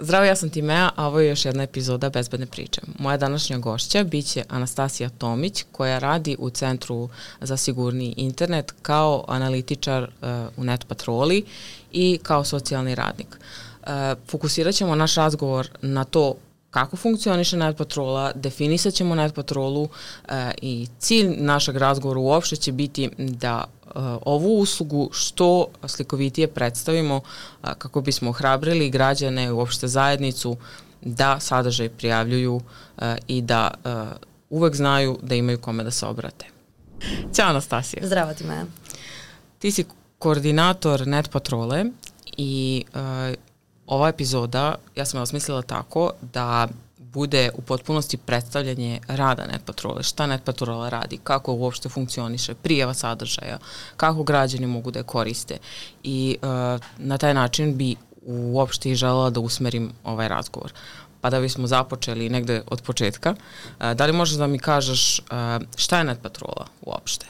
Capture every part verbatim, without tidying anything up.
Zdravo, ja sam Timea, a ovo je još jedna epizoda Bezbedne priče. Moja današnja gošća biće Anastasija Tomić, koja radi u Centru za sigurniji internet kao analitičar uh, u NetPatroli i kao socijalni radnik. Uh, fokusirat ćemo naš razgovor na to kako funkcioniše NetPatrola, definisat ćemo NetPatrolu uh, i cilj našeg razgovora uopšte će biti da uh, ovu uslugu što slikovitije predstavimo uh, kako bismo ohrabrili građane, uopšte zajednicu da sadržaj prijavljuju uh, i da uh, uvek znaju da imaju kome da se obrate. Ćao Anastasija. Zdravo ti, Maja. Ti si koordinator NetPatrole i uh, ova epizoda, ja sam vas mislila tako da bude u potpunosti predstavljanje rada NetPatrole, šta NetPatrola radi, kako uopšte funkcioniše, prijava sadržaja, kako građani mogu da je koriste i uh, na taj način bi uopšte i želela da usmerim ovaj razgovor. Pa da bismo započeli negde od početka, uh, da li možeš da mi kažeš uh, šta je NetPatrola uopšte?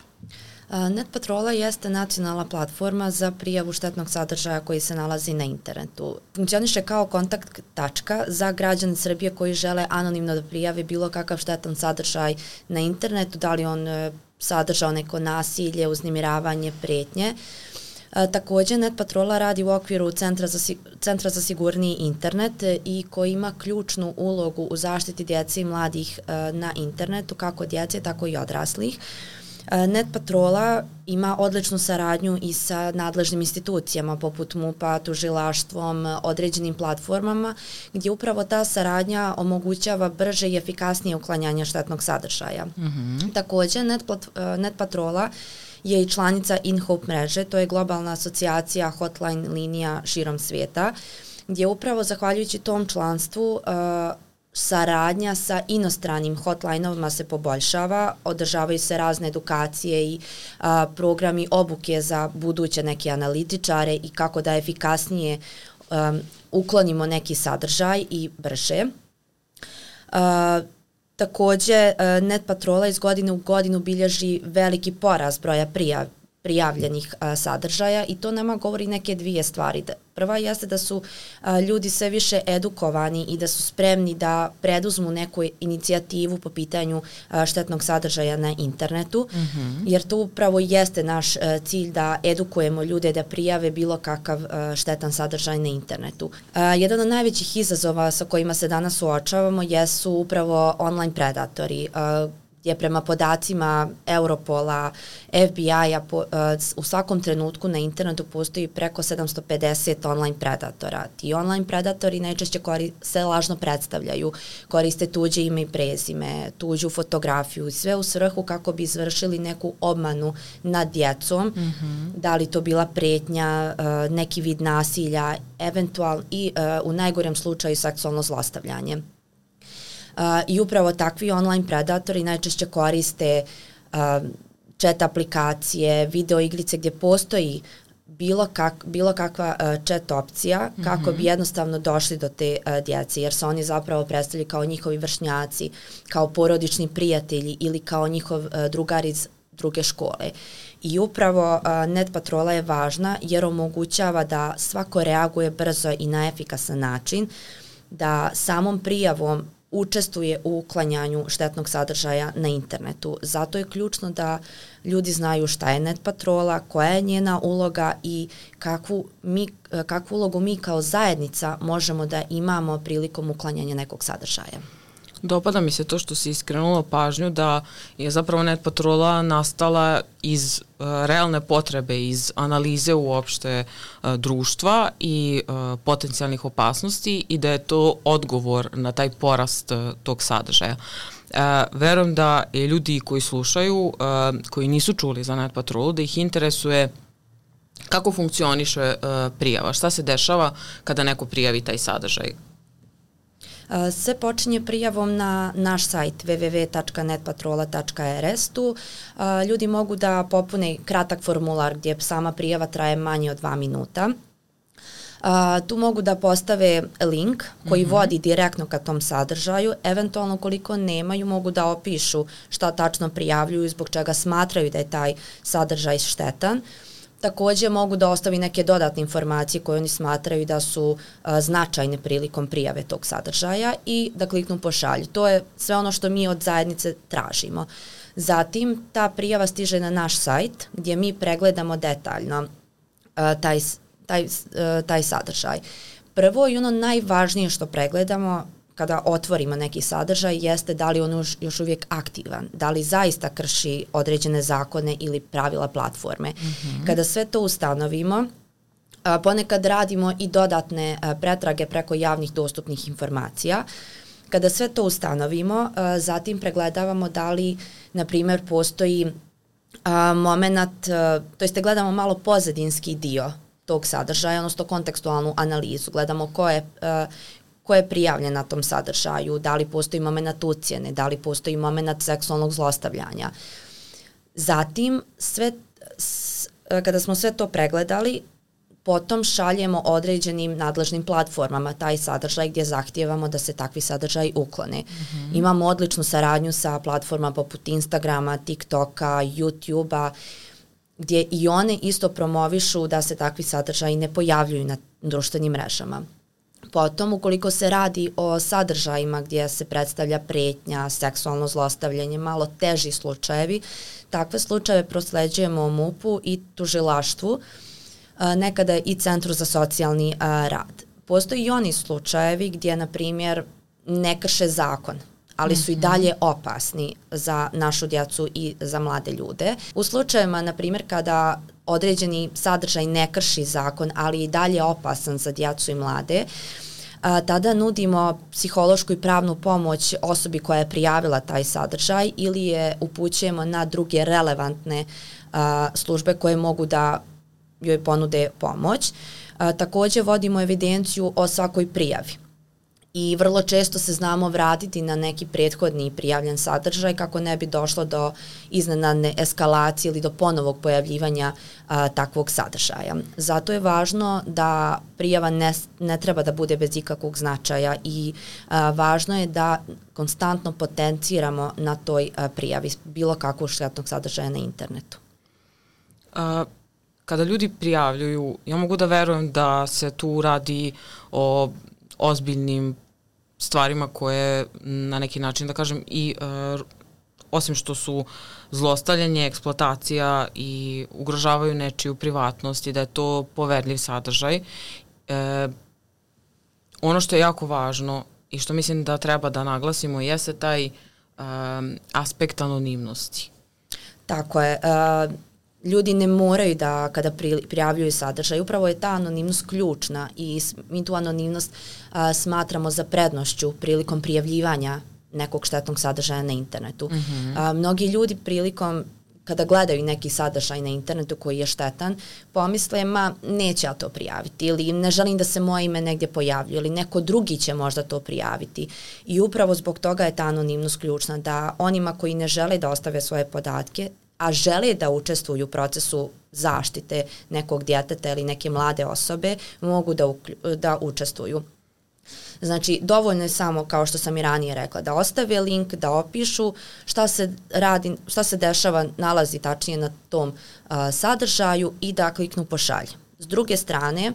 NetPatrola jeste nacionalna platforma za prijavu štetnog sadržaja koji se nalazi na internetu. Funkcioniše kao kontakt tačka za građane Srbije koji žele anonimno da prijave bilo kakav štetan sadržaj na internetu, da li on sadržao neko nasilje, uznemiravanje, pretnje. E, takođe, NetPatrola radi u okviru Centra za, Centra za sigurniji internet i koji ima ključnu ulogu u zaštiti djece i mladih e, na internetu, kako djece, tako i odraslih. NetPatrola ima odličnu saradnju i sa nadležnim institucijama poput MUP-a, tužilaštvom, određenim platformama gdje upravo ta saradnja omogućava brže i efikasnije uklanjanje štetnog sadržaja. Mm-hmm. Takođe, NetPatrola je i članica InHope mreže, to je globalna asocijacija hotline linija širom svijeta, gdje upravo zahvaljujući tom članstvu uh, saradnja sa inostranim hotline-ovima se poboljšava, održavaju se razne edukacije i a, programi obuke za buduće neke analitičare i kako da efikasnije um, uklonimo neki sadržaj i brže. A, takođe, a, NetPatrola iz godine u godinu bilježi veliki porast broja prijav, prijavljenih a, sadržaja i to nama govori neke dvije stvari. Prva jeste da su a, ljudi sve više edukovani i da su spremni da preduzmu neku inicijativu po pitanju a, štetnog sadržaja na internetu, mm-hmm. jer to upravo jeste naš a, cilj da edukujemo ljude da prijave bilo kakav a, štetan sadržaj na internetu. A, jedan od najvećih izazova sa kojima se danas suočavamo jesu upravo online predatori, a, gdje prema podacima Europola, F B I-a po, uh, u svakom trenutku na internetu postoji preko sedamsto pedeset online predatora. Ti online predatori najčešće kori, se lažno predstavljaju, koriste tuđe ime i prezime, tuđu fotografiju i sve u svrhu kako bi izvršili neku obmanu nad djecom, mm-hmm. da li to bila pretnja, uh, neki vid nasilja, eventualno i uh, u najgorem slučaju seksualno zlostavljanje. Uh, I upravo takvi online predatori najčešće koriste uh, chat aplikacije, video igrice gdje postoji bilo, kak, bilo kakva uh, chat opcija mm-hmm. kako bi jednostavno došli do te uh, djece, jer se oni zapravo predstavljaju kao njihovi vršnjaci, kao porodični prijatelji ili kao njihov uh, drugar iz druge škole. I upravo uh, NetPatrola je važna jer omogućava da svako reaguje brzo i na efikasan način, da samom prijavom učestvuje u uklanjanju štetnog sadržaja na internetu. Zato je ključno da ljudi znaju šta je NetPatrola, koja je njena uloga i kakvu, mi, kakvu ulogu mi kao zajednica možemo da imamo prilikom uklanjanja nekog sadržaja. Dopada mi se to što si iskrenula pažnju da je zapravo NetPatrola nastala iz uh, realne potrebe, iz analize uopšte uh, društva i uh, potencijalnih opasnosti i da je to odgovor na taj porast uh, tog sadržaja. Uh, verujem da je ljudi koji slušaju, uh, koji nisu čuli za NetPatrolu, da ih interesuje kako funkcioniše uh, prijava, šta se dešava kada neko prijavi taj sadržaj. Sve počinje prijavom na naš sajt w w w tačka netpatrola tačka r s. Tu ljudi mogu da popune kratak formular gdje sama prijava traje manje od dva minuta. Uh, tu mogu da postave link koji mm-hmm. vodi direktno ka tom sadržaju, eventualno koliko nemaju mogu da opišu šta tačno prijavljuju i zbog čega smatraju da je taj sadržaj štetan. takođe mogu da ostavi neke dodatne informacije koje oni smatraju da su a, značajne prilikom prijave tog sadržaja i da kliknu pošalju. To je sve ono što mi od zajednice tražimo. Zatim, ta prijava stiže na naš sajt gdje mi pregledamo detaljno a, taj, taj, a, taj sadržaj. Prvo i ono najvažnije što pregledamo kada otvorimo neki sadržaj jeste da li on još uvijek aktivan, da li zaista krši određene zakone ili pravila platforme. Mm-hmm. Kada sve to ustanovimo, a, ponekad radimo i dodatne a, pretrage preko javnih dostupnih informacija. Kada sve to ustanovimo, a, zatim pregledavamo da li, na primjer, postoji a, moment, a, to jest gledamo malo pozadinski dio tog sadržaja, odnosno kontekstualnu analizu. Gledamo ko je, uh, ko je prijavljen na tom sadržaju, da li postoji moment ucjene, da li postoji moment seksualnog zlostavljanja. Zatim, sve, s, kada smo sve to pregledali, potom šaljemo određenim nadležnim platformama taj sadržaj gdje zahtijevamo da se takvi sadržaj uklone. Mm-hmm. Imamo odličnu saradnju sa platformama poput Instagrama, TikToka, YouTubea, gdje i one isto promovišu da se takvi sadržaji ne pojavljuju na društvenim mrežama. Potom, ukoliko se radi o sadržajima gdje se predstavlja pretnja, seksualno zlostavljanje, malo teži slučajevi, takve slučajeve prosleđujemo M U P-u i tužilaštvu, nekada i Centru za socijalni rad. Postoji i oni slučajevi gdje, na primjer, ne krše zakon, ali su i dalje opasni za našu djecu i za mlade ljude. U slučajevima, na primjer, kada određeni sadržaj ne krši zakon, ali i dalje opasan za djecu i mlade, a, tada nudimo psihološku i pravnu pomoć osobi koja je prijavila taj sadržaj ili je upućujemo na druge relevantne a, službe koje mogu da joj ponude pomoć. A, također vodimo evidenciju o svakoj prijavi. I vrlo često se znamo vratiti na neki prethodni prijavljen sadržaj kako ne bi došlo do iznenadne eskalacije ili do ponovog pojavljivanja a, takvog sadržaja. Zato je važno da prijava ne, ne treba da bude bez ikakvog značaja i a, važno je da konstantno potenciramo na toj a, prijavi bilo kakvog štetnog sadržaja na internetu. A, kada ljudi prijavljuju, ja mogu da verujem da se tu radi o ozbiljnim stvarima koje na neki način, da kažem, i uh, osim što su zlostavljanje, eksploatacija i ugrožavaju nečiju privatnost i da je to poverljiv sadržaj. E, ono što je jako važno i što mislim da treba da naglasimo jeste taj um, aspekt anonimnosti. Tako je. Uh, ljudi ne moraju da kada pri, prijavljuju sadržaj, upravo je ta anonimnost ključna i mi tu anonimnost a, smatramo za prednošću prilikom prijavljivanja nekog štetnog sadržaja na internetu. Mm-hmm. A, mnogi ljudi prilikom kada gledaju neki sadržaj na internetu koji je štetan, pomisle, ma neće ja to prijaviti ili ne želim da se moje ime negdje pojavljuje ili neko drugi će možda to prijaviti. I upravo zbog toga je ta anonimnost ključna, da onima koji ne žele da ostave svoje podatke, a žele da učestvuju u procesu zaštite nekog djeteta ili neke mlade osobe, mogu da, da učestvuju. Znači, dovoljno je samo, kao što sam i ranije rekla, da ostave link, da opišu šta se radi, šta se dešava, nalazi tačnije na tom uh, sadržaju i da kliknu pošalje. S druge strane,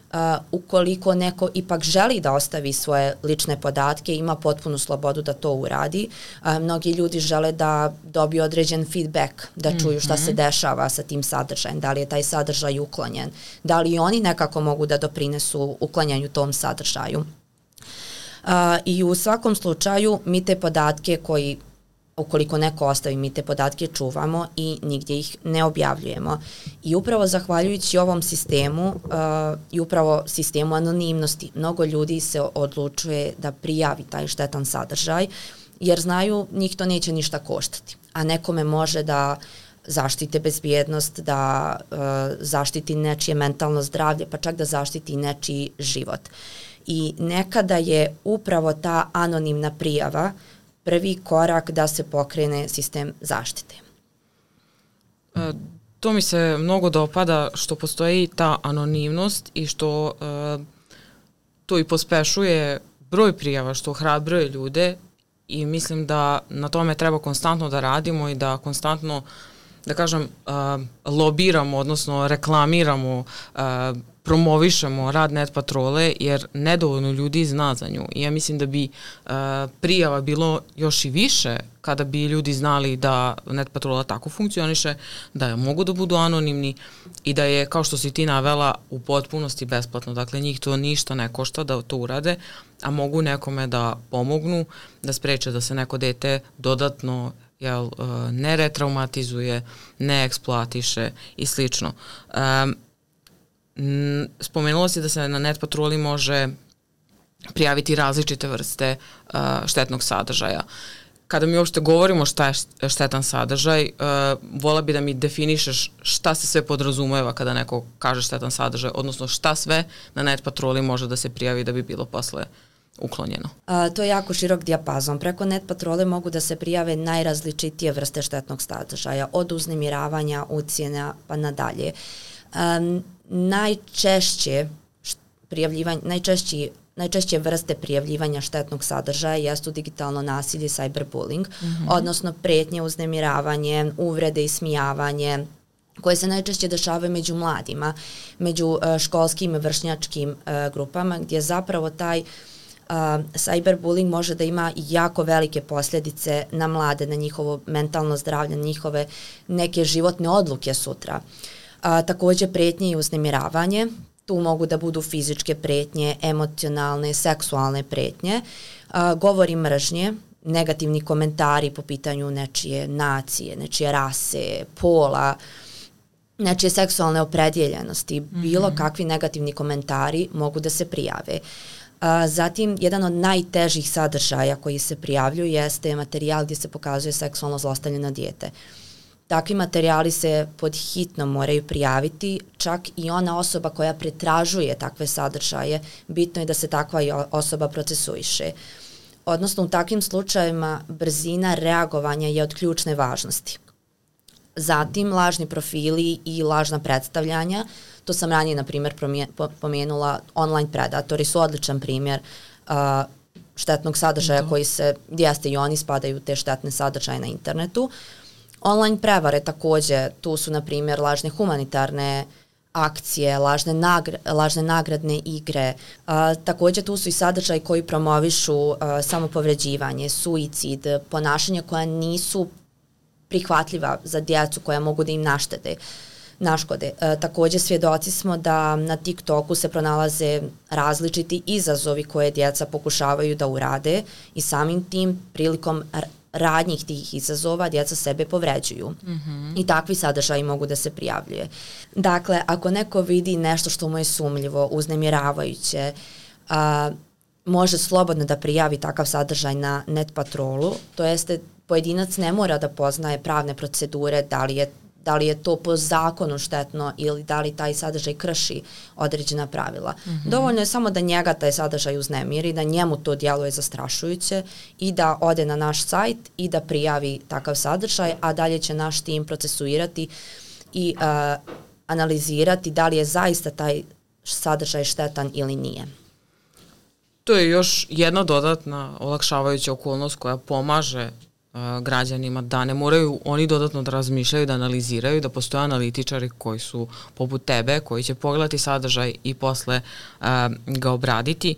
Uh, ukoliko neko ipak želi da ostavi svoje lične podatke, ima potpunu slobodu da to uradi. Uh, mnogi ljudi žele da dobiju određen feedback, da čuju šta se dešava sa tim sadržajem, da li je taj sadržaj uklonjen, da li oni nekako mogu da doprinesu uklanjanju tom sadržaju. Uh, I u svakom slučaju mi te podatke koji ukoliko neko ostavi, mi te podatke čuvamo i nigdje ih ne objavljujemo. I upravo zahvaljujući ovom sistemu uh, i upravo sistemu anonimnosti, mnogo ljudi se odlučuje da prijavi taj štetan sadržaj, jer znaju njih to neće ništa koštati, a nekome može da zaštite bezbjednost, da uh, zaštiti nečije mentalno zdravlje, pa čak da zaštiti nečiji život. I nekada je upravo ta anonimna prijava prvi korak da se pokrene sistem zaštite. E, to mi se mnogo dopada što postoji ta anonimnost i što e, to i pospešuje broj prijava, što hrabruje ljude i mislim da na tome treba konstantno da radimo i da konstantno da kažem, uh, lobiramo, odnosno reklamiramo, uh, promovišemo rad Net patrole, jer nedovoljno ljudi zna za nju. I ja mislim da bi uh, prijava bilo još i više kada bi ljudi znali da Net patrola tako funkcioniše, da je mogu da budu anonimni i da je, kao što si ti navela, u potpunosti besplatno. Dakle, njih to ništa ne košta da to urade, a mogu nekome da pomognu, da spreče da se neko dete dodatno jel, ne retraumatizuje, ne eksploatiše i slično. Um, Spomenulo si da se na Net patroli može prijaviti različite vrste uh, štetnog sadržaja. Kada mi uopšte govorimo šta je štetan sadržaj, uh, vola bi da mi definišeš šta se sve podrazumeva kada neko kaže štetan sadržaj, odnosno šta sve na Net patroli može da se prijavi da bi bilo posle uklonjeno. A, to je jako širok dijapazon. Preko Net patrole mogu da se prijave najrazličitije vrste štetnog sadržaja, od uznemiravanja, ucjena pa nadalje. Um, najčešće prijavljivanje, najčešći Najčešće vrste prijavljivanja štetnog sadržaja jesu digitalno nasilje, cyberbullying, mm-hmm. odnosno pretnje, uznemiravanje, uvrede i smijavanje, koje se najčešće dešavaju među mladima, među uh, školskim i vršnjačkim uh, grupama, gdje zapravo taj uh, cyberbullying može da ima jako velike posljedice na mlade, na njihovo mentalno zdravlje, na njihove neke životne odluke sutra. Uh, također pretnje i uznemiravanje. Tu mogu da budu fizičke pretnje, emocionalne, seksualne pretnje, uh, govori mržnje, negativni komentari po pitanju nečije nacije, nečije rase, pola, nečije seksualne opredjeljenosti, mm-hmm. bilo kakvi negativni komentari mogu da se prijave. Uh, zatim, jedan od najtežih sadržaja koji se prijavljuju jeste materijal gdje se pokazuje seksualno zlostavljeno dijete. Takvi materijali se pod hitno moraju prijaviti, čak i ona osoba koja pretražuje takve sadržaje, bitno je da se takva osoba procesuiše. Odnosno, u takvim slučajevima brzina reagovanja je od ključne važnosti. Zatim, lažni profili i lažna predstavljanja, to sam ranije, na primjer, pomenula, online predatori su odličan primjer uh, štetnog sadržaja Do. koji se, jeste i oni spadaju u te štetne sadržaje na internetu. Online prevare također, tu su na primjer lažne humanitarne akcije, lažne, nagr lažne nagradne igre. A, također tu su i sadržaji koji promovišu a, samopovređivanje, suicid, ponašanja koja nisu prihvatljiva za djecu, koja mogu da im naštete, naškode. A, također svjedoci smo da na TikToku se pronalaze različiti izazovi koje djeca pokušavaju da urade i samim tim prilikom radnjih tih izazova djeca sebe povređuju. Mm-hmm. I takvi sadržaji mogu da se prijavljuje. Dakle, ako neko vidi nešto što mu je sumnjivo, uznemiravajuće, a, može slobodno da prijavi takav sadržaj na Net patrolu, to jeste pojedinac ne mora da poznaje pravne procedure, da li je da li je to po zakonu štetno ili da li taj sadržaj krši određena pravila. Mm-hmm. Dovoljno je samo da njega taj sadržaj uznemiri, da njemu to djeluje zastrašujuće i da ode na naš sajt i da prijavi takav sadržaj, a dalje će naš tim procesuirati i uh, analizirati da li je zaista taj sadržaj štetan ili nije. To je još jedna dodatna olakšavajuća okolnost koja pomaže građanima da ne moraju oni dodatno da razmišljaju, da analiziraju, da postoje analitičari koji su poput tebe, koji će pogledati sadržaj i posle uh, ga obraditi,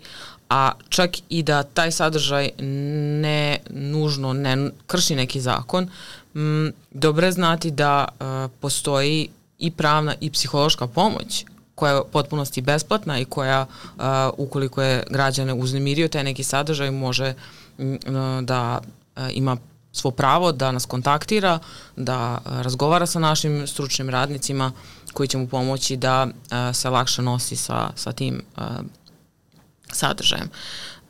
a čak i da taj sadržaj ne nužno ne krši neki zakon, m, dobro je znati da uh, postoji i pravna i psihološka pomoć koja je u potpunosti besplatna i koja, uh, ukoliko je građane uznemirio taj neki sadržaj, može m, da uh, ima svo pravo da nas kontaktira, da razgovara sa našim stručnim radnicima koji će mu pomoći da uh, se lakše nosi sa, sa tim uh, sadržajem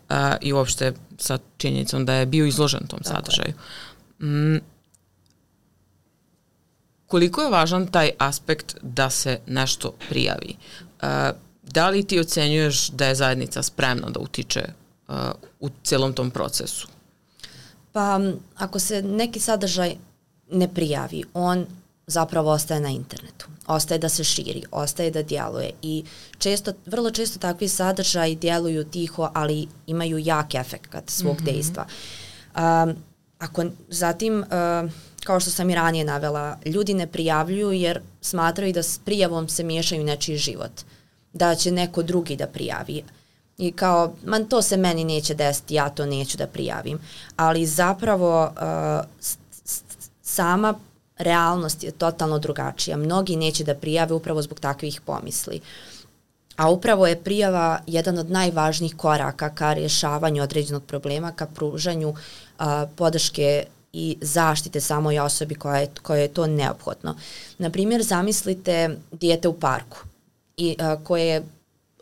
uh, i uopšte sa činjenicom da je bio izložen tom Tako sadržaju. Mm, koliko je važan taj aspekt da se nešto prijavi? Uh, da li ti ocenjuješ da je zajednica spremna da utiče uh, u celom tom procesu? Pa ako se neki sadržaj ne prijavi, on zapravo ostaje na internetu, ostaje da se širi, ostaje da djeluje i često, vrlo često takvi sadržaji djeluju tiho, ali imaju jak efekt svog mm-hmm. dejstva. Um, ako zatim uh, kao što sam i ranije navela, ljudi ne prijavljuju jer smatraju da s prijavom se miješaju nečiji život, da će neko drugi da prijavi. I kao, man, to se meni neće desiti, ja to neću da prijavim. Ali zapravo uh, s, s, sama realnost je totalno drugačija. Mnogi neće da prijave upravo zbog takvih pomisli. A upravo je prijava jedan od najvažnijih koraka ka rješavanju određenog problema, ka pružanju uh, podrške i zaštite samoj osobi koja je, koja je to neophodno. Naprimjer, zamislite dijete u parku i, uh, koje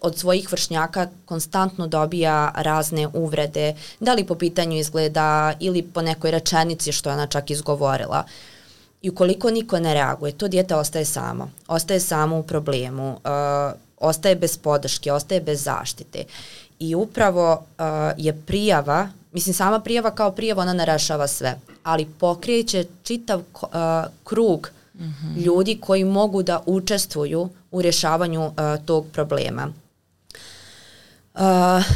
od svojih vršnjaka konstantno dobija razne uvrede, da li po pitanju izgleda ili po nekoj rečenici što je ona čak izgovorila. I ukoliko niko ne reaguje, to dijete ostaje samo. Ostaje samo u problemu, uh, ostaje bez podrške, ostaje bez zaštite. I upravo uh, je prijava, mislim sama prijava kao prijava, ona ne rešava sve, ali pokreće čitav uh, krug mm-hmm. ljudi koji mogu da učestvuju u rješavanju uh, tog problema. Uh,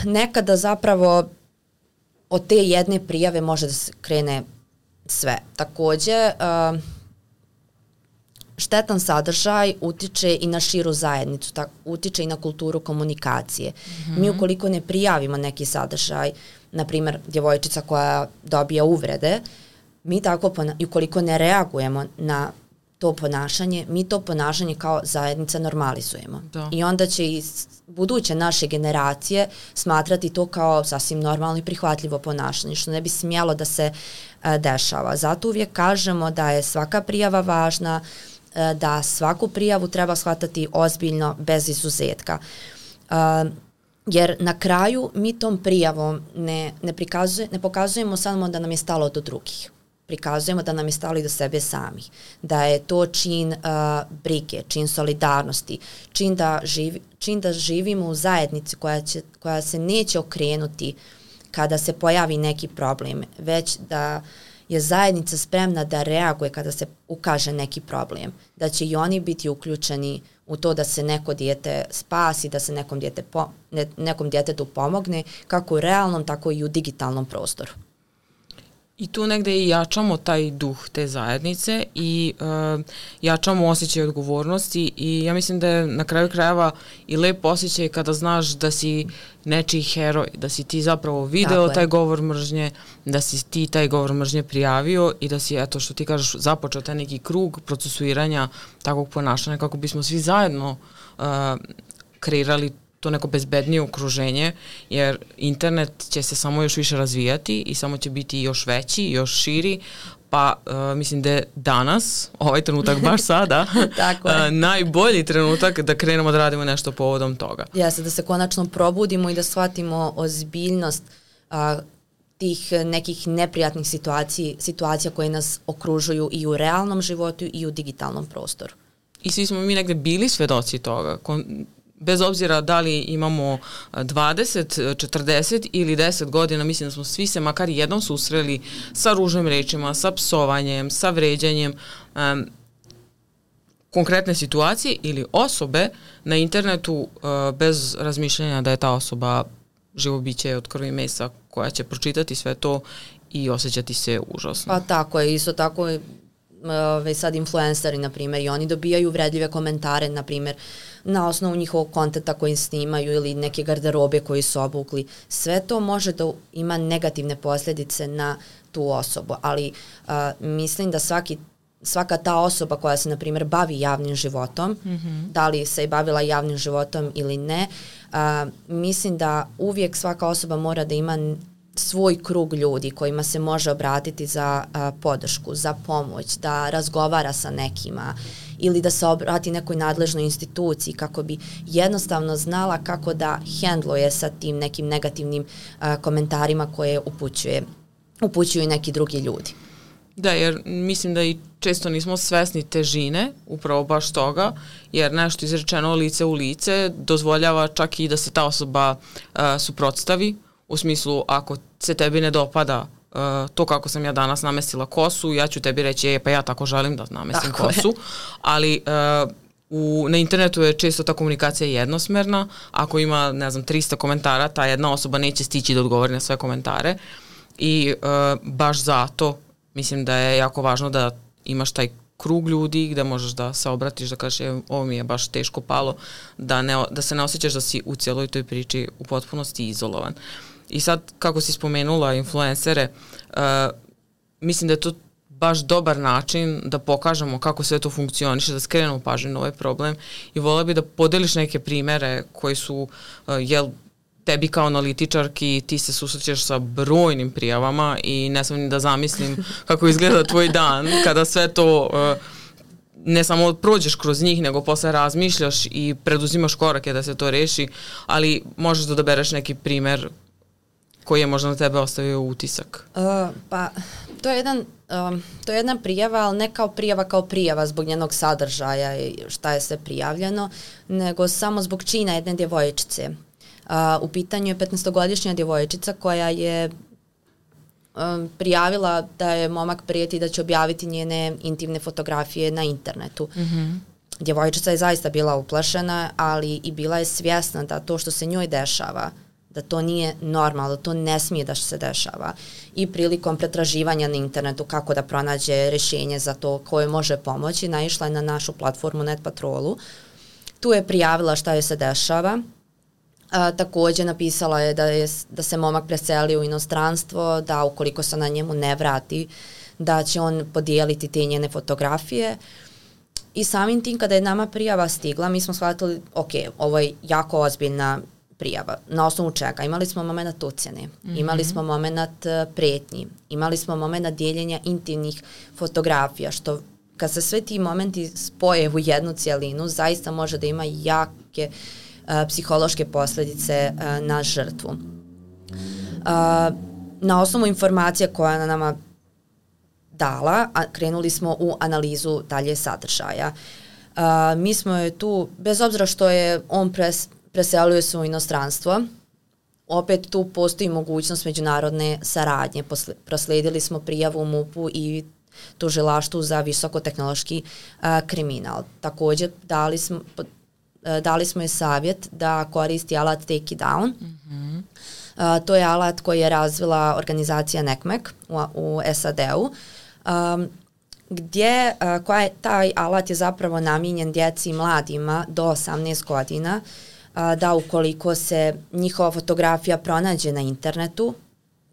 nekada zapravo od te jedne prijave može da se krene sve. Takođe, uh, štetan sadržaj utiče i na širu zajednicu, tak, utiče i na kulturu komunikacije. Mm-hmm. Mi ukoliko ne prijavimo neki sadržaj, na primjer djevojčica koja dobija uvrede, mi tako, i ukoliko ne reagujemo na to ponašanje, mi to ponašanje kao zajednica normalizujemo. Da. I onda će i buduće naše generacije smatrati to kao sasvim normalno i prihvatljivo ponašanje, što ne bi smjelo da se a, dešava. Zato uvijek kažemo da je svaka prijava važna, a, da svaku prijavu treba shvatati ozbiljno, bez izuzetka. A, jer na kraju mi tom prijavom ne, ne, prikazuje, ne pokazujemo samo da nam je stalo do drugih. Prikazujemo da nam je stalo i do sebe samih, da je to čin uh, brige, čin solidarnosti, čin da, živi, čin da živimo u zajednici koja, će, koja se neće okrenuti kada se pojavi neki problem, već da je zajednica spremna da reaguje kada se ukaže neki problem, da će i oni biti uključeni u to da se neko dijete spasi, da se nekom, dijete po, ne, nekom djetetu pomogne, kako u realnom, tako i u digitalnom prostoru. I tu negde i jačamo taj duh te zajednice i uh, jačamo osjećaj odgovornosti i ja mislim da je na kraju krajeva i lep osjećaj kada znaš da si nečiji heroj, da si ti zapravo video taj govor mržnje, da si ti taj govor mržnje prijavio i da si, eto što ti kažeš, započeo taj neki krug procesuiranja takvog ponašanja kako bismo svi zajedno uh, kreirali to neko bezbednije okruženje, jer internet će se samo još više razvijati i samo će biti još veći, još širi, pa uh, mislim da je danas, ovaj trenutak baš sada, Tako uh, najbolji trenutak da krenemo da radimo nešto povodom toga. Jeste, da se konačno probudimo i da shvatimo ozbiljnost uh, tih nekih neprijatnih situacija, situacija koje nas okružuju i u realnom životu i u digitalnom prostoru. I svi smo mi negde bili svedoci toga, Kon- bez obzira da li imamo dvadeset, četrdeset ili deset godina, mislim da smo svi se makar jednom susreli sa ružnim rečima, sa psovanjem, sa vređanjem, um, konkretne situacije ili osobe na internetu uh, bez razmišljanja da je ta osoba živo biće od krvi i mesa koja će pročitati sve to i osjećati se užasno. Pa tako je, isto tako je Ove, sad influenceri, na primjer, i oni dobijaju uvredljive komentare, na primjer, na osnovu njihovog kontenta koji snimaju ili neke garderobe koji su obukli. Sve to može da ima negativne posljedice na tu osobu, ali a, mislim da svaki, svaka ta osoba koja se, na primjer, bavi javnim životom, mm-hmm. da li se je bavila javnim životom ili ne, a, mislim da uvijek svaka osoba mora da ima svoj krug ljudi kojima se može obratiti za a, podršku, za pomoć, da razgovara sa nekima ili da se obrati nekoj nadležnoj instituciji kako bi jednostavno znala kako da hendluje sa tim nekim negativnim a, komentarima koje upućuje, upućuju neki drugi ljudi. Da, jer mislim da i često nismo svesni težine upravo baš toga, jer nešto izrečeno lice u lice dozvoljava čak i da se ta osoba uh, suprotstavi. U smislu, ako se tebi ne dopada uh, to kako sam ja danas namestila kosu, ja ću tebi reći, je, pa ja tako želim da namestim tako kosu. Je. Ali uh, u, na internetu je često ta komunikacija jednosmerna. Ako ima, ne znam, trista komentara, ta jedna osoba neće stići da odgovori na sve komentare. I uh, baš zato mislim da je jako važno da imaš taj krug ljudi gde možeš da se obratiš, da kažeš e, ovo mi je baš teško palo, da, ne, da se ne osjećaš da si u cijeloj toj priči u potpunosti izolovan. I sad, kako si spomenula influencere, uh, mislim da je to baš dobar način da pokažemo kako sve to funkcioniše, da skrenemo pažnju na ovaj problem i volela bi da podeliš neke primere koji su, uh, jel, tebi kao analitičarki ti se susrećeš sa brojnim prijavama i ne sam ni da zamislim kako izgleda tvoj dan kada sve to uh, ne samo prođeš kroz njih, nego posle razmišljaš i preduzimaš korake da se to reši, ali možeš da odabereš neki primer koji je možda na tebe ostavio utisak. Uh, pa, to je jedan um, to je jedna prijava, ali ne kao prijava kao prijava zbog njenog sadržaja i šta je sve prijavljeno, nego samo zbog čina jedne djevojčice. Uh, u pitanju je petnaestogodišnja djevojčica koja je um, prijavila da je momak prijeti da će objaviti njene intimne fotografije na internetu. Mm-hmm. Djevojčica je zaista bila uplašena, ali i bila je svjesna da to što se njoj dešava, da to nije normalno, da to ne smije da se dešava. I prilikom pretraživanja na internetu kako da pronađe rješenje za to koje može pomoći, naišla je na našu platformu Net Patrolu. Tu je prijavila šta joj se dešava. A, također napisala je da, je da se momak preselio u inostranstvo, da ukoliko se na njemu ne vrati, da će on podijeliti te njene fotografije. I samim tim kada je nama prijava stigla, mi smo shvatili, ok, ovo je jako ozbiljna prijava. Na osnovu čega? Imali smo moment ucjene, mm-hmm. imali smo moment pretnji, imali smo moment dijeljenja intimnih fotografija, što kad se sve ti momenti spoje u jednu cijelinu, zaista može da ima jake uh, psihološke posljedice uh, na žrtvu. Uh, na osnovu informacija koja na nama dala, a krenuli smo u analizu dalje sadržaja. Uh, mi smo je tu, bez obzira što je on pres, preselio se u inostranstvo, opet tu postoji mogućnost međunarodne saradnje. Posle, proslijedili smo prijavu M U P-u i tužilaštvu za visokotehnološki uh, kriminal. Također dali smo, uh, dali smo je savjet da koristi alat Take It Down. Mm-hmm. Uh, to je alat koji je razvila organizacija N E C M E C u, u S A D-u. Um, gdje uh, koja je, taj alat je zapravo namijenjen djeci i mladima do osamnaest godina, uh, da ukoliko se njihova fotografija pronađe na internetu,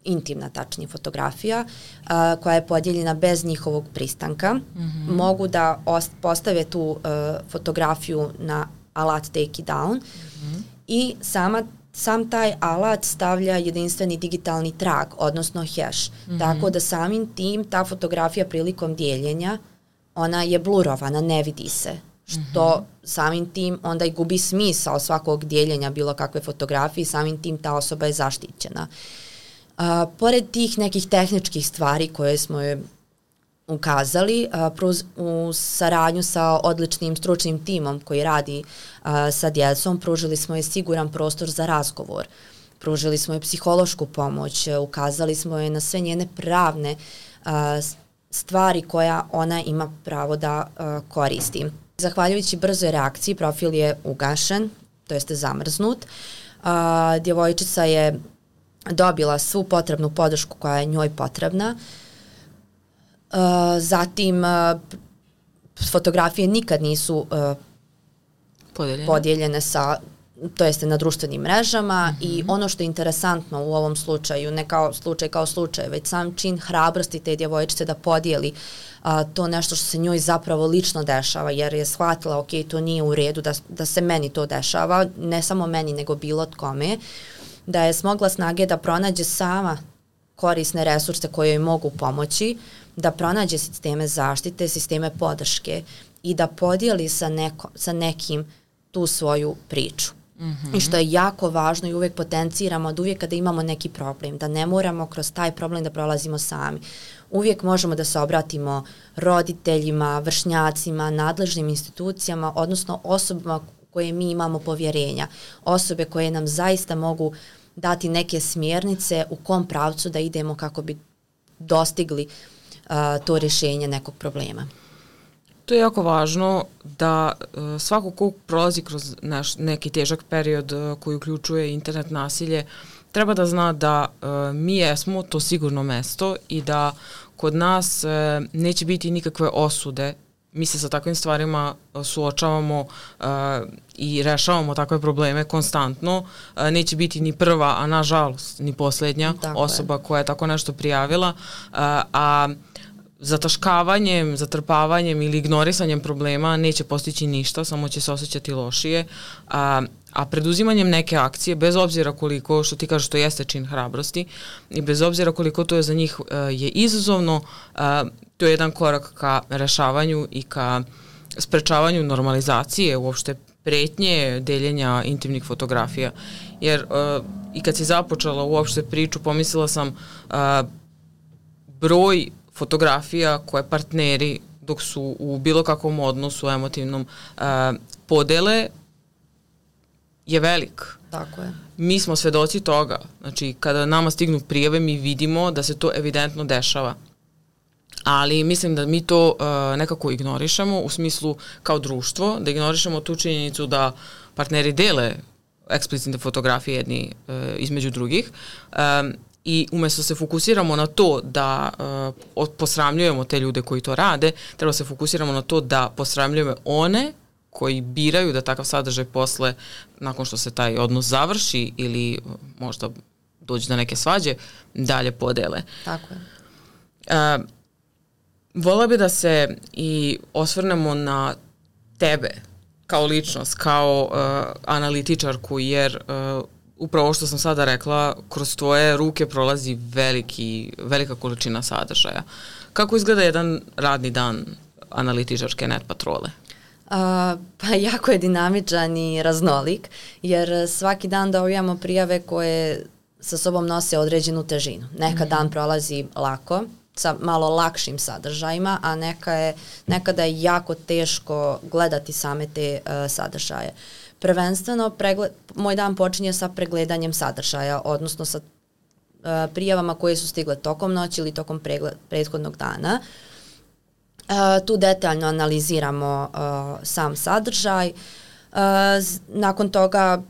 intimna tačnije fotografija, uh, koja je podijeljena bez njihovog pristanka, mm-hmm. mogu da ost- postave tu uh, fotografiju na alat Take It Down mm-hmm. i sama sam taj alat stavlja jedinstveni digitalni trag, odnosno hash. Mm-hmm. Tako da samim tim ta fotografija prilikom dijeljenja, ona je blurovana, ne vidi se. Što mm-hmm. samim tim onda i gubi smisao svakog dijeljenja bilo kakve fotografije, samim tim ta osoba je zaštićena. Uh, pored tih nekih tehničkih stvari koje smo je ukazali, uh, pruz, u saradnju sa odličnim stručnim timom koji radi uh, sa djecom, pružili smo je siguran prostor za razgovor. Pružili smo je psihološku pomoć, uh, ukazali smo je na sve njene pravne uh, stvari koja ona ima pravo da uh, koristi. Zahvaljujući brzoj reakciji, profil je ugašen, to jeste zamrznut. Uh, djevojčica je dobila svu potrebnu podršku koja je njoj potrebna. Uh, zatim uh, fotografije nikad nisu uh, podijeljene. podijeljene sa, to jeste na društvenim mrežama mm-hmm. i ono što je interesantno u ovom slučaju, ne kao slučaj kao slučaj, već sam čin hrabrosti te djevojčice da podijeli uh, to nešto što se njoj zapravo lično dešava, jer je shvatila, ok, to nije u redu da, da se meni to dešava, ne samo meni nego bilo kome, da je smogla snage da pronađe sama korisne resurse koje joj mogu pomoći, da pronađe sisteme zaštite, sisteme podrške i da podijeli sa, neko, sa nekim tu svoju priču. Mm-hmm. I što je jako važno i uvijek potenciramo da uvijek kada imamo neki problem, da ne moramo kroz taj problem da prolazimo sami. Uvijek možemo da se obratimo roditeljima, vršnjacima, nadležnim institucijama, odnosno osobama koje mi imamo povjerenja. Osobe koje nam zaista mogu dati neke smjernice u kom pravcu da idemo kako bi dostigli uh, to rješenje nekog problema. To je jako važno da uh, svako ko prolazi kroz naš, neki težak period uh, koji uključuje internet nasilje, treba da zna da uh, mi jesmo to sigurno mesto i da kod nas e, neće biti nikakve osude. Mi se sa takvim stvarima suočavamo uh, i rešavamo takve probleme konstantno. Uh, neće biti ni prva, a nažalost ni poslednja tako osoba je. koja je tako nešto prijavila. Uh, a zataškavanjem, zatrpavanjem ili ignorisanjem problema neće postići ništa, samo će se osjećati lošije. A, a preduzimanjem neke akcije, bez obzira koliko, što ti kažeš, to jeste čin hrabrosti, i bez obzira koliko to je za njih uh, je izazovno, uh, to je jedan korak ka rešavanju i ka sprečavanju normalizacije, uopšte pretnje deljenja intimnih fotografija. Jer uh, i kad si započela uopšte priču, pomislila sam uh, broj fotografija koje partneri dok su u bilo kakvom odnosu emotivnom uh, podele je velik. Tako je. Mi smo svedoci toga. Znači, kada nama stignu prijave, mi vidimo da se to evidentno dešava. Ali mislim da mi to uh, nekako ignorišemo u smislu kao društvo, da ignorišemo tu činjenicu da partneri dele eksplicitne fotografije jedni uh, između drugih. Um, I umesto se fokusiramo na to da uh, posramljujemo te ljude koji to rade, treba se fokusiramo na to da posramljujemo one koji biraju da takav sadržaj posle, nakon što se taj odnos završi ili možda dođe do neke svađe, dalje podele. Tako je. Uh, Vola bi da se i osvrnemo na tebe kao ličnost, kao uh, analitičarku, jer uh, upravo što sam sada rekla, kroz tvoje ruke prolazi veliki, velika količina sadržaja. Kako izgleda jedan radni dan analitičarke Net Patrole? Uh, pa jako je dinamičan i raznolik, jer svaki dan dobijamo prijave koje sa sobom nose određenu težinu. Neka mm-hmm. dan prolazi lako, sa malo lakšim sadržajima, a neka je, nekada je jako teško gledati same te uh, sadržaje. Prvenstveno, pregled, moj dan počinje sa pregledanjem sadržaja, odnosno sa uh, prijavama koje su stigle tokom noći ili tokom pregled, prethodnog dana. Uh, tu detaljno analiziramo uh, sam sadržaj. Uh, nakon toga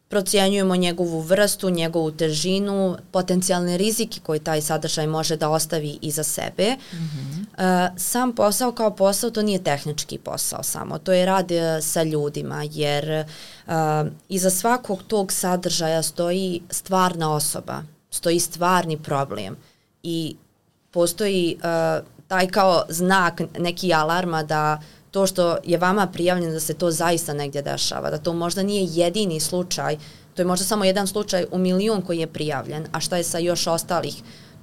procjenjujemo njegovu vrstu, njegovu težinu, potencijalne rizike koje taj sadržaj može da ostavi iza sebe. Mm-hmm. Uh, sam posao kao posao, to nije tehnički posao samo, to je rad uh, sa ljudima, jer uh, iza svakog tog sadržaja stoji stvarna osoba, stoji stvarni problem i postoji uh, taj kao znak, neki alarma da to što je vama prijavljeno da se to zaista negdje dešava, da to možda nije jedini slučaj, to je možda samo jedan slučaj u milion koji je prijavljen, a šta je sa još ostalih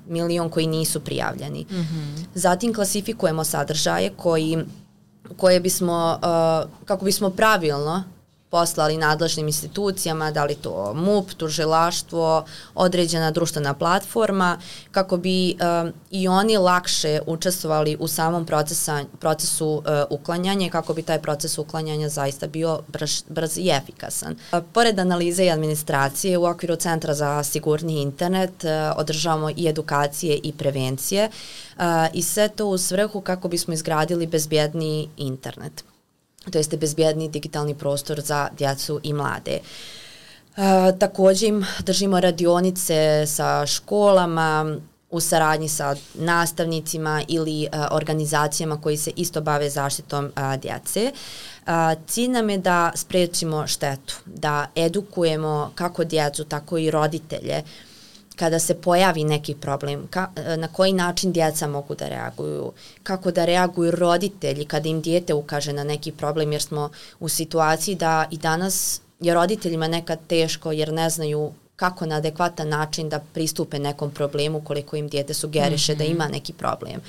milion koji nisu prijavljeni. Mm-hmm. Zatim klasifikujemo sadržaje koji, koje bismo, uh, kako bismo pravilno poslali nadležnim institucijama, da li to M U P, tužilaštvo, određena društvena platforma, kako bi um, i oni lakše učestvovali u samom procesa, procesu uh, uklanjanja i kako bi taj proces uklanjanja zaista bio brž, brz i efikasan. Uh, pored analize i administracije, u okviru Centra za sigurniji internet uh, održavamo i edukacije i prevencije uh, i sve to u svrhu kako bismo izgradili bezbjedniji internet, to jeste bezbjedni digitalni prostor za djecu i mlade. E, također im držimo radionice sa školama u saradnji sa nastavnicima ili e, organizacijama koji se isto bave zaštitom e, djece. E, cilj nam je da sprečimo štetu, da edukujemo kako djecu, tako i roditelje kada se pojavi neki problem, ka, na koji način djeca mogu da reaguju, kako da reaguju roditelji kada im dijete ukaže na neki problem, jer smo u situaciji da i danas je roditeljima nekad teško jer ne znaju kako na adekvatan način da pristupe nekom problemu koliko im dijete sugeriše mm-hmm. da ima neki problem.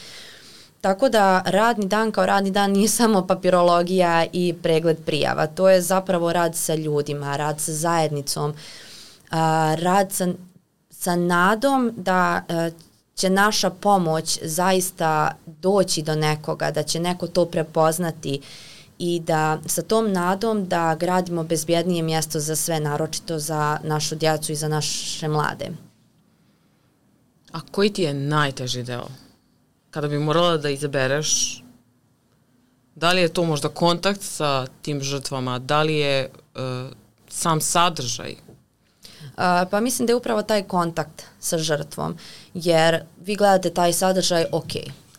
Tako da radni dan kao radni dan nije samo papirologija i pregled prijava, to je zapravo rad sa ljudima, rad sa zajednicom, a, rad sa sa nadom da uh, će naša pomoć zaista doći do nekoga, da će neko to prepoznati i da sa tom nadom da gradimo bezbjednije mjesto za sve, naročito za našu djecu i za naše mlade. A koji ti je najteži deo? Kada bi morala da izabereš, da li je to možda kontakt sa tim žrtvama, da li je uh, sam sadržaj? pa mislim da je upravo taj kontakt sa žrtvom, jer vi gledate taj sadržaj, ok,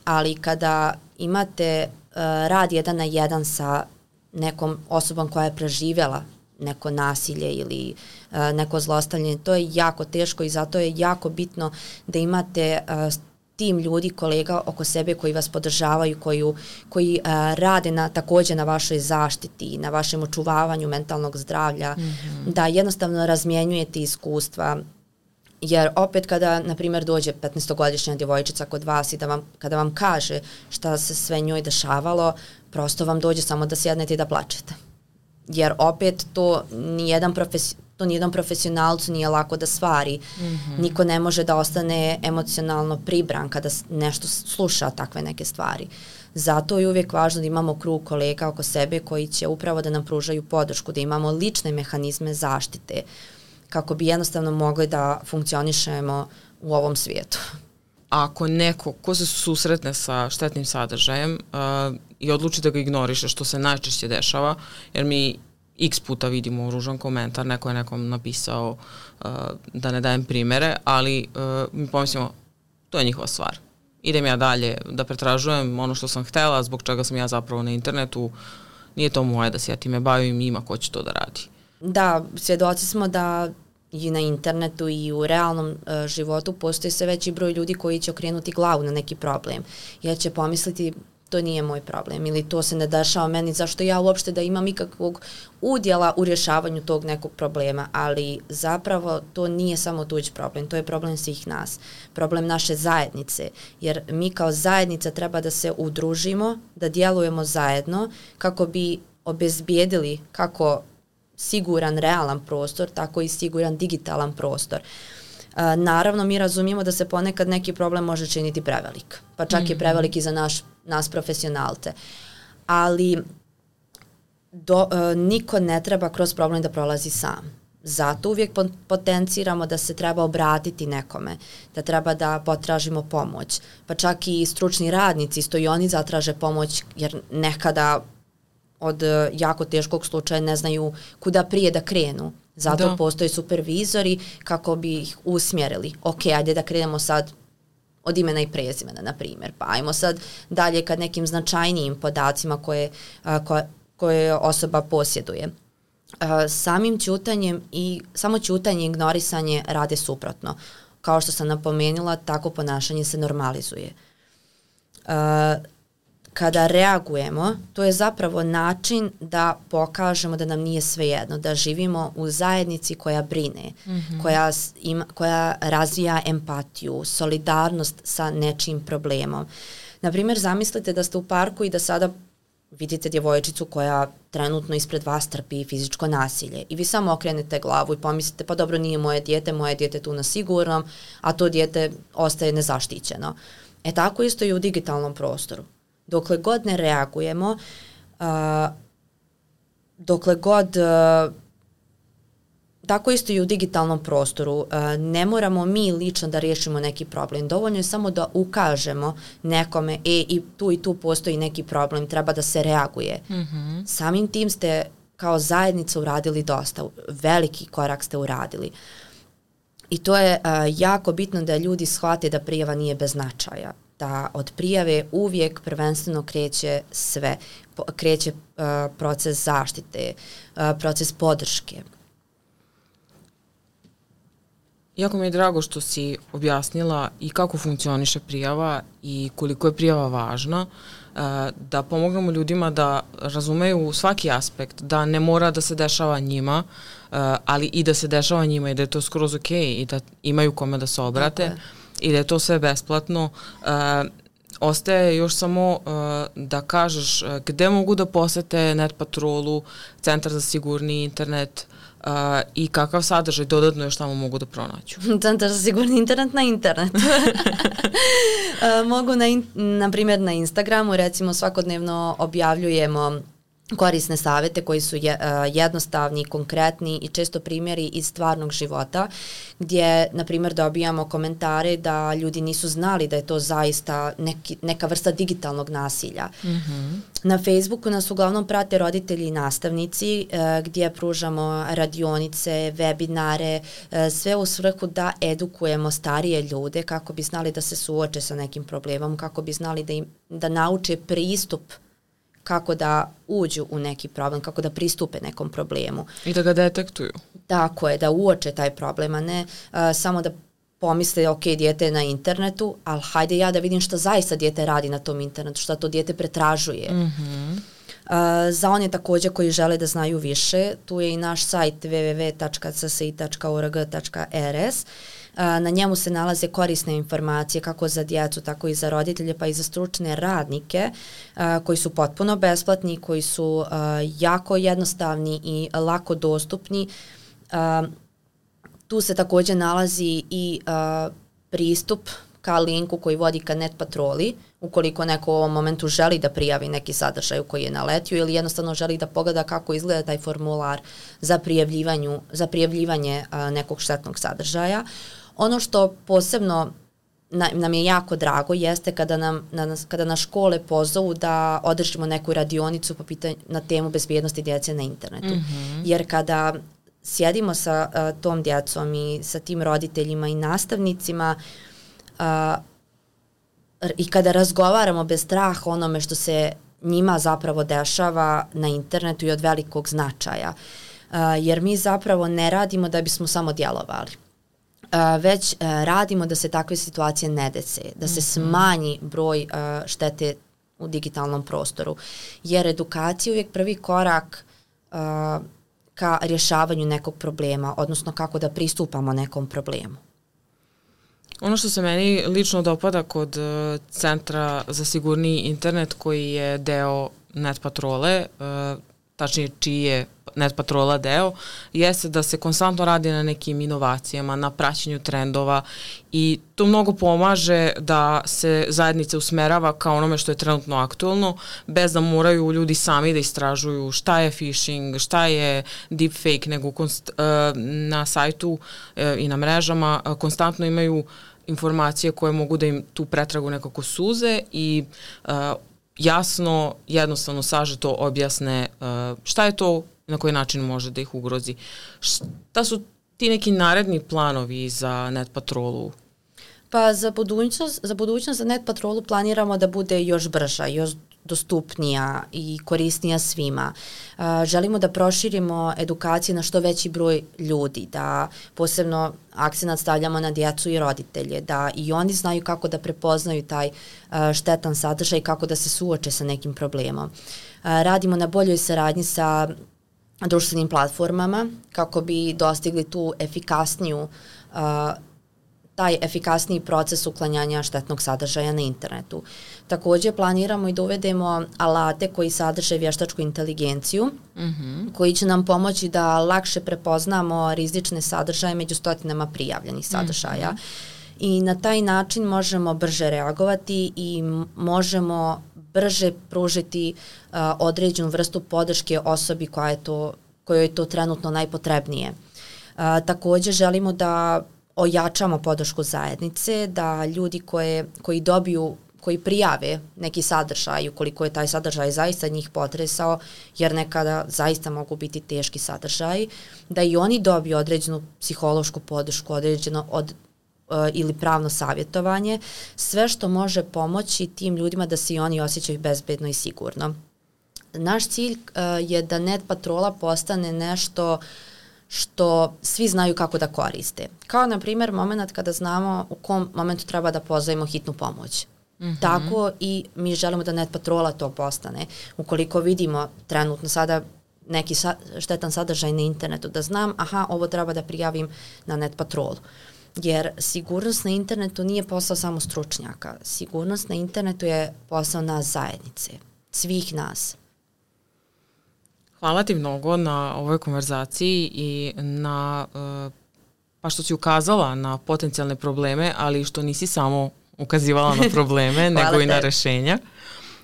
ali kada imate uh, rad jedan na jedan sa nekom osobom koja je preživjela neko nasilje ili uh, neko zlostavljanje, to je jako teško i zato je jako bitno da imate uh, tim ljudi, kolega oko sebe koji vas podržavaju, koji, koji uh, rade na, također na vašoj zaštiti, na vašem očuvavanju mentalnog zdravlja, mm-hmm. da jednostavno razmjenjujete iskustva. Jer opet kada, na primjer, dođe petnaestogodišnja djevojčica kod vas i da vam, kada vam kaže šta se sve njoj dešavalo, prosto vam dođe samo da sjednete i da plačete. Jer opet to nijedan profes, to nijednom profesionalcu nije lako da stvari. Mm-hmm. Niko ne može da ostane emocionalno pribran kada nešto sluša takve neke stvari. Zato je uvijek važno da imamo krug kolega oko sebe koji će upravo da nam pružaju podršku, da imamo lične mehanizme zaštite kako bi jednostavno mogli da funkcionišemo u ovom svijetu. Ako neko ko se susretne sa štetnim sadržajem uh, i odluči da ga ignoriše, što se najčešće dešava, jer mi x puta vidimo ružan komentar, neko je nekom napisao uh, da ne dajem primere, ali uh, mi pomislimo, to je njihova stvar. Idem ja dalje da pretražujem ono što sam htjela, zbog čega sam ja zapravo na internetu, nije to moje da se ja time bavim, ima ko će to da radi. Da, svjedoci smo da i na internetu i u realnom uh, životu postoji sve veći broj ljudi koji će okrenuti glavu na neki problem. Jer će pomisliti to nije moj problem ili to se ne dešava meni, zašto ja uopšte da imam ikakvog udjela u rješavanju tog nekog problema, ali zapravo to nije samo tuđ problem, to je problem svih nas, problem naše zajednice, jer mi kao zajednica treba da se udružimo, da djelujemo zajedno kako bi obezbijedili kako siguran realan prostor, tako i siguran digitalan prostor. Uh, naravno, mi razumijemo da se ponekad neki problem može činiti prevelik, pa čak mm-hmm. je prevelik i za naš, nas profesionalce. Ali do, uh, niko ne treba kroz problem da prolazi sam. Zato uvijek potenciramo da se treba obratiti nekome, da treba da potražimo pomoć. Pa čak i stručni radnici isto i oni zatraže pomoć, jer nekada od jako teškog slučaja ne znaju kuda prije da krenu. Zato da. Postoje supervizori kako bi ih usmjerili. Ok, ajde da krenemo sad od imena i prezimena, na primjer. Pa ajmo sad dalje kad nekim značajnijim podacima koje, koje, koje osoba posjeduje. Samim ćutanjem i samo ćutanje i ignorisanje rade suprotno. Kao što sam napomenula, tako ponašanje se normalizuje. Kada reagujemo, to je zapravo način da pokažemo da nam nije svejedno, da živimo u zajednici koja brine, mm-hmm. koja, ima, koja razvija empatiju, solidarnost sa nečim problemom. Naprimjer, zamislite da ste u parku i da sada vidite djevojčicu koja trenutno ispred vas trpi fizičko nasilje i vi samo okrenete glavu i pomislite pa dobro, nije moje dijete, moje dijete tu na sigurnom, a to dijete ostaje nezaštićeno. E tako isto i u digitalnom prostoru. Dokle god ne reagujemo, uh, dokle god, uh, tako isto i u digitalnom prostoru, uh, ne moramo mi lično da riješimo neki problem. Dovoljno je samo da ukažemo nekome, e, i tu i tu postoji neki problem, treba da se reaguje. Mm-hmm. Samim tim ste kao zajednica uradili dosta, veliki korak ste uradili. I to je uh, jako bitno da ljudi shvate da prijava nije bez značaja. Da od prijave uvijek prvenstveno kreće sve, kreće uh, proces zaštite, uh, proces podrške. Jako mi je drago što si objasnila i kako funkcioniše prijava i koliko je prijava važna, uh, da pomognemo ljudima da razumeju svaki aspekt, da ne mora da se dešava njima, uh, ali i da se dešava njima i da je to skroz ok i da imaju kome da se obrate. I da je to sve besplatno. Uh, ostaje još samo uh, da kažeš uh, gde mogu da posete Net Patrolu, Centar za sigurni internet uh, i kakav sadržaj dodatno još tamo mogu da pronaću. Centar za sigurni internet na internet. uh, mogu na, in, na primjer na Instagramu, recimo svakodnevno objavljujemo korisne savete koji su je, uh, jednostavni, konkretni i često primjeri iz stvarnog života gdje, na primjer, dobijamo komentare da ljudi nisu znali da je to zaista neki, neka vrsta digitalnog nasilja. Mm-hmm. Na Facebooku nas uglavnom prate roditelji i nastavnici uh, gdje pružamo radionice, webinare, uh, sve u svrhu da edukujemo starije ljude kako bi znali da se suoče sa nekim problemom, kako bi znali da, im, da nauče pristup kako da uđu u neki problem, kako da pristupe nekom problemu. I da ga detektuju. Tako je, da uoče taj problem, a ne uh, samo da pomisle, ok, dijete je na internetu, ali hajde ja da vidim šta zaista dijete radi na tom internetu, šta to dijete pretražuje. Mm-hmm. Uh, za one također koji žele da znaju više, tu je i naš sajt w w w tačka c s i tačka o r g tačka r s. Na njemu se nalaze korisne informacije kako za djecu, tako i za roditelje, pa i za stručne radnike koji su potpuno besplatni, koji su jako jednostavni i lako dostupni. Tu se također nalazi i pristup ka linku koji vodi ka Net Patroli, ukoliko neko u ovom momentu želi da prijavi neki sadržaj u koji je naletio ili jednostavno želi da pogleda kako izgleda taj formular za, za prijavljivanje nekog štetnog sadržaja. Ono što posebno na, nam je jako drago jeste kada nam na, kada nas škole pozovu da održimo neku radionicu po pitanju, na temu bezbjednosti djece na internetu. Mm-hmm. Jer kada sjedimo sa uh, tom djecom i sa tim roditeljima i nastavnicima uh, i kada razgovaramo bez straha o onome što se njima zapravo dešava na internetu i od velikog značaja. Uh, jer mi zapravo ne radimo da bismo samo djelovali. Uh, već uh, radimo da se takve situacije ne dese, da se mm-hmm. smanji broj uh, štete u digitalnom prostoru. Jer edukacija je uvijek prvi korak uh, ka rješavanju nekog problema, odnosno kako da pristupamo nekom problemu. Ono što se meni lično dopada kod uh, Centra za sigurniji internet koji je deo Net Patrole, uh, tačnije čiji je Net Patrola deo, jeste da se konstantno radi na nekim inovacijama, na praćenju trendova i to mnogo pomaže da se zajednica usmerava kao onome što je trenutno aktualno, bez da moraju ljudi sami da istražuju šta je phishing, šta je deepfake, nego konst, na sajtu i na mrežama konstantno imaju informacije koje mogu da im tu pretragu nekako suze i jasno, jednostavno, sažeto objasne šta je to, na koji način može da ih ugrozi. Šta su ti neki naredni planovi za Net Patrolu? Pa za budućnost, za budućnost za Net Patrolu planiramo da bude još brža, još dostupnija i korisnija svima. Uh, želimo da proširimo edukacije na što veći broj ljudi, da posebno akcenat stavljamo na djecu i roditelje, da i oni znaju kako da prepoznaju taj uh, štetan sadržaj i kako da se suoče sa nekim problemom. Uh, radimo na boljoj saradnji sa društvenim platformama kako bi dostigli tu efikasniju uh, taj efikasniji proces uklanjanja štetnog sadržaja na internetu. Također planiramo i da uvedemo alate koji sadrže vještačku inteligenciju, mm-hmm. koji će nam pomoći da lakše prepoznamo rizične sadržaje među stotinama prijavljenih sadržaja. Mm-hmm. I na taj način možemo brže reagovati i možemo brže pružiti uh, određenu vrstu podrške osobi koja je to, kojoj je to trenutno najpotrebnije. Uh, također želimo da ojačamo podršku zajednice, da ljudi koje, koji dobiju, koji prijave neki sadržaj, ukoliko je taj sadržaj zaista njih potresao, jer nekada zaista mogu biti teški sadržaji, da i oni dobiju određenu psihološku podršku, određeno od uh, ili pravno savjetovanje, sve što može pomoći tim ljudima da se i oni osjećaju bezbedno i sigurno. Naš cilj uh, je da Net Patrola postane nešto što svi znaju kako da koriste. Kao, na primjer, moment kada znamo u kom momentu treba da pozovemo hitnu pomoć. Mm-hmm. Tako i mi želimo da Net Patrola to postane. Ukoliko vidimo trenutno sada neki sa, štetan sadržaj na internetu, da znam, aha, ovo treba da prijavim na Net Patrolu. Jer sigurnost na internetu nije posao samo stručnjaka. Sigurnost na internetu je posao nas zajednice, svih nas. Hvala ti mnogo na ovoj konverzaciji i na, pa što si ukazala na potencijalne probleme, ali što nisi samo ukazivala na probleme, nego i na rešenja.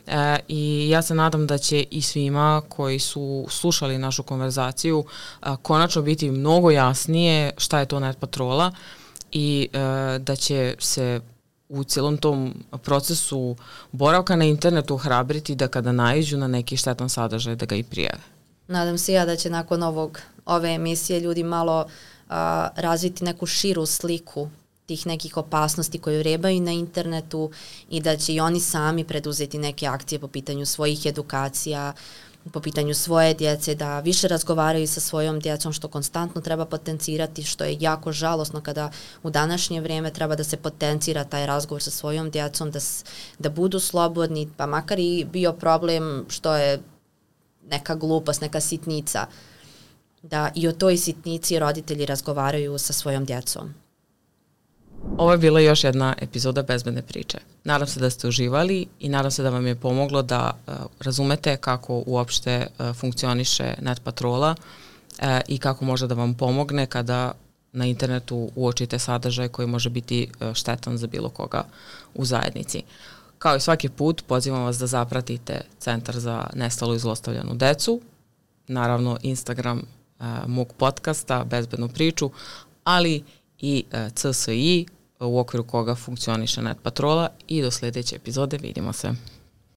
e, i ja se nadam da će i svima koji su slušali našu konverzaciju a, konačno biti mnogo jasnije šta je to Net Patrola i e, da će se u cijelom tom procesu boravka na internetu hrabriti da kada naiđu na neki štetan sadržaj da ga i prijave. Nadam se ja da će nakon ovog, ove emisije ljudi malo a, razviti neku širu sliku tih nekih opasnosti koje vrebaju na internetu i da će i oni sami preduzeti neke akcije po pitanju svojih edukacija, po pitanju svoje djece, da više razgovaraju sa svojom djecom, što konstantno treba potencirati, što je jako žalosno kada u današnje vrijeme treba da se potencira taj razgovor sa svojom djecom, da, da budu slobodni, pa makar i bio problem što je neka glupost, neka sitnica, da i o toj sitnici roditelji razgovaraju sa svojom djecom. Ovo je bila još jedna epizoda Bezbedne priče. Nadam se da ste uživali i nadam se da vam je pomoglo da uh, razumete kako uopšte uh, funkcioniše Net Patrola uh, i kako može da vam pomogne kada na internetu uočite sadržaj koji može biti uh, štetan za bilo koga u zajednici. Kao i svaki put, pozivam vas da zapratite Centar za nestalu i zlostavljanu decu, naravno Instagram uh, mog podcasta Bezbednu priču, ali i uh, C S I u okviru koga funkcioniše Net Patrola i do sljedeće epizode vidimo se.